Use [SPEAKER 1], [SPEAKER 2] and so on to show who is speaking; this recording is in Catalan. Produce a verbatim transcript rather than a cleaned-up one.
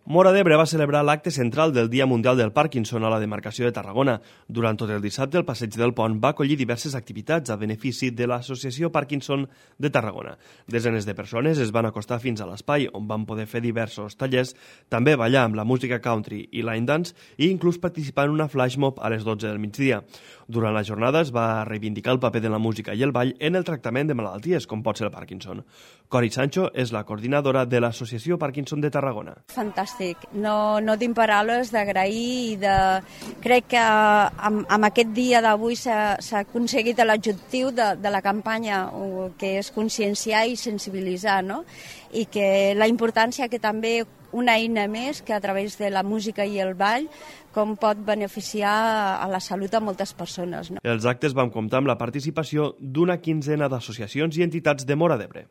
[SPEAKER 1] Móra d'Ebre va celebrar l'acte central del Dia Mundial del Parkinson a la demarcació de Tarragona. Durant tot el dissabte, el Passeig del Pont va acollir diverses activitats a benefici de l'Associació Parkinson de Tarragona. Desenes de persones es van acostar fins a l'espai, on van poder fer diversos tallers, també ballar amb la música country i line dance i inclús participar en una flash mob a les dotze del migdia. Durant la jornada es va reivindicar el paper de la música i el ball en el tractament de malalties, com pot ser el Parkinson. Cori Sancho és la coordinadora de l'Associació Parkinson de Tarragona.
[SPEAKER 2] Fantàstic. No, no tinc paraules d'agrair i de... Crec que amb, amb aquest dia d'avui s'ha aconseguit l'objectiu de, de la campanya, que és conscienciar i sensibilitzar, no? I que la importància que també una eina més que a través de la música i el ball com pot beneficiar a la salut a moltes persones. No?
[SPEAKER 1] Els actes van comptar amb la participació d'una quinzena d'associacions i entitats de Móra d'Ebre.